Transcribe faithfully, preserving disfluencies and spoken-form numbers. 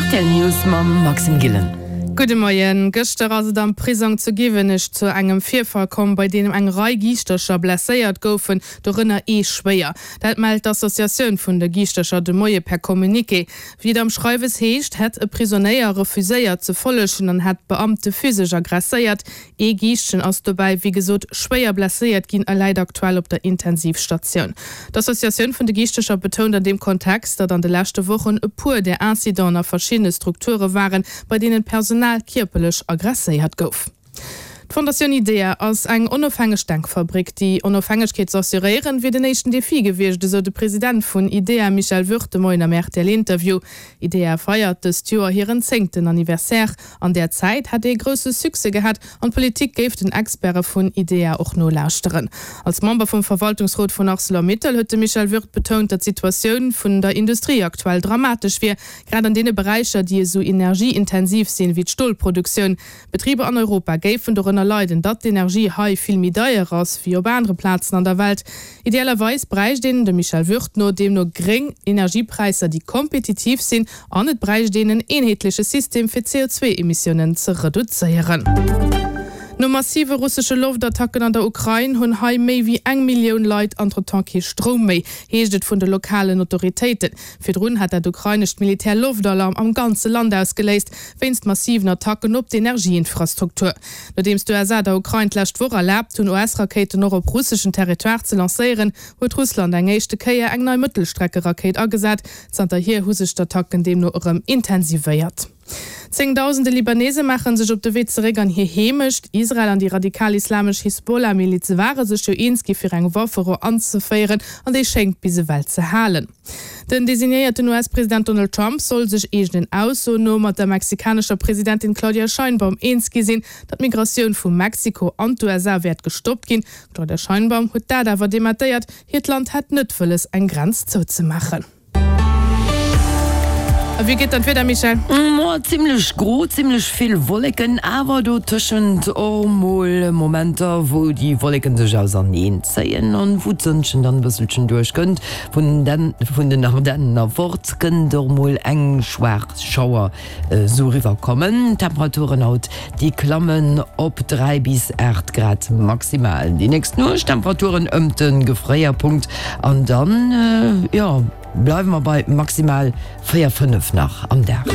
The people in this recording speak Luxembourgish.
Rtl News mam Maxime Gillen. Gudde Moien. Gëschter ass et am Prisong zu Giwenech zu engem Virfall komm, bei deem eng Rei Giischtercher blesséiert goufen, dorënner ee schwéier. Dat mellt d'Associatioun vun de Giischtercher de Moie per Communiqué. Wéi et am Schreiwes heescht, hätt e Prisonéier refuséiert ze follegen an hätt d'Beamte physesch aggresséiert. Ee Giischtchen ass dobäi wéi gesot schwéier blesséiert ginn a läit aktuell op der Intensivstatioun. D'Associatioun vun de Giischtercher betount an deem Kontext, datt an de leschte Wochen e puer där Incidenten a verschiddene Strukture waren, bei deenen d'Personal kierperlech aggresséiert gouf. D'Fondatioun IDEA ass eng onofhängeg Denkfabrik. Déi Onofhängegkeet ze assuréieren, wier den éischten Defi gewiescht, esou de President vun IDEA Michel Würth de Moien am RTL-Interview. IDEA feiert dëst Joer hiren zéngten Anniversaire. An där Zäit hätt ee grousse Succès gehat an d'Politik géif den Experte vun IDEA och nolauschteren. Als Member vum Verwaltungsrot vun Arcelor-Mittal huet de Michel Würth betount, datt d'Situatioun vun der Industrie aktuell dramatesch wier, grad an deene Beräicher, déi esou energieintensiv sinn, wéi d'Stolproduktioun. Betriber an Europa géifen dorënner leiden, datt d'Energie hei vill méi deier ass wéi op anere Plazen an der Welt. Idealerweis bräicht een, dem Michel Würth no, deemno gréng Energiepräisser, déi kompetitiv sinn, an et bräicht een en eenheetleche System, fir d'C O zwei Emissiounen ze reduzéieren. No massive russesche Loftattacken an der Ukrain hunn hei méi wéi eng Millioun Leit entretemps kee Stroum méi, heescht et vun de lokalen Autoritéiten. Virdrun hat dat ukrainescht Militär Loftalarm am ganze Land ausgeléist, wéinst massiven Attacken op d'Energieinfrastruktur. Nodeems d'U S A der Ukrain d'lescht Woch erlaabt hunn, U S-Rakéiten och op russeschen Territoire ze lancéieren, huet Russland eng éischte Kéier eng nei Mëttelstrecke-Rakéit agesat. Zanterhier hu sech d'Attacken deemno erëm intensivéiert. Zéngdausende Libanese maache sech op de Wee zeréck an hir Heemecht. Israel an déi radikal-islamesch Hisbollah-Miliz ware sech jo eens gi fir eng Wafferou anzeféieren an déi schéngt bis ewell ze halen. Den designéierten U S-President Donald Trump soll sech eegenen Aussoen no mat der mexikanescher Presidentin Claudia Sheinbaum eens gi sinn, datt d'Migratioun vu Mexiko an d'U S A wäert gestoppt ginn. Claudia Sheinbaum huet dat awer dementéiert, hiert Land hätt net wëlles, eng Grenz zouzemaachen. A wéi geet dann d'Wieder, Michèle? Ma zimmlech gro, zimmlech vill Wolleken, awer do tëschent och mol Momenter, wou déi Wolleken sech auserneen zéien an wou d'Sënnchen dann e bësselchen duerchkënnt. Vun den, vun den Ardennen erfort kënnt och mol eng schwaach Schauer sou eriwwerkommen. D'Temperaturen haut, déi klammen op dräi bis aacht Grad maximal. Déi nächst Nuecht Temperaturen ëm de Gefréierpunkt an dann, jo, bleiwe mer bei maximal véier, fënnef nach am Dag.